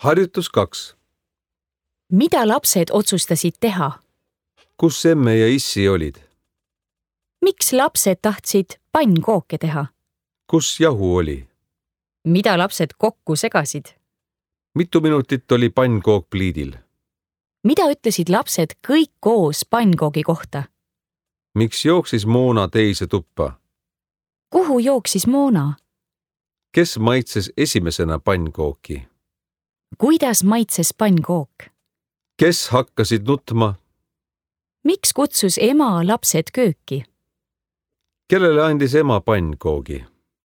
Harjutus 2. Mida lapsed otsustasid teha? Kus emme ja issi olid? Miks lapsed tahtsid pannkooke teha? Kus jahu oli? Mida lapsed kokku segasid? Mitu minutit oli pannkook pliidil? Mida ütlesid lapsed kõik koos pannkoogi kohta? Miks jooksis Moona teise tuppa? Kuhu jooksis Moona? Kes maitses esimesena pannkooki? Kuidas maitses pannkook? Kes hakkasid nutma? Miks kutsus ema lapsed kööki? Kellele andis ema pannkoogi?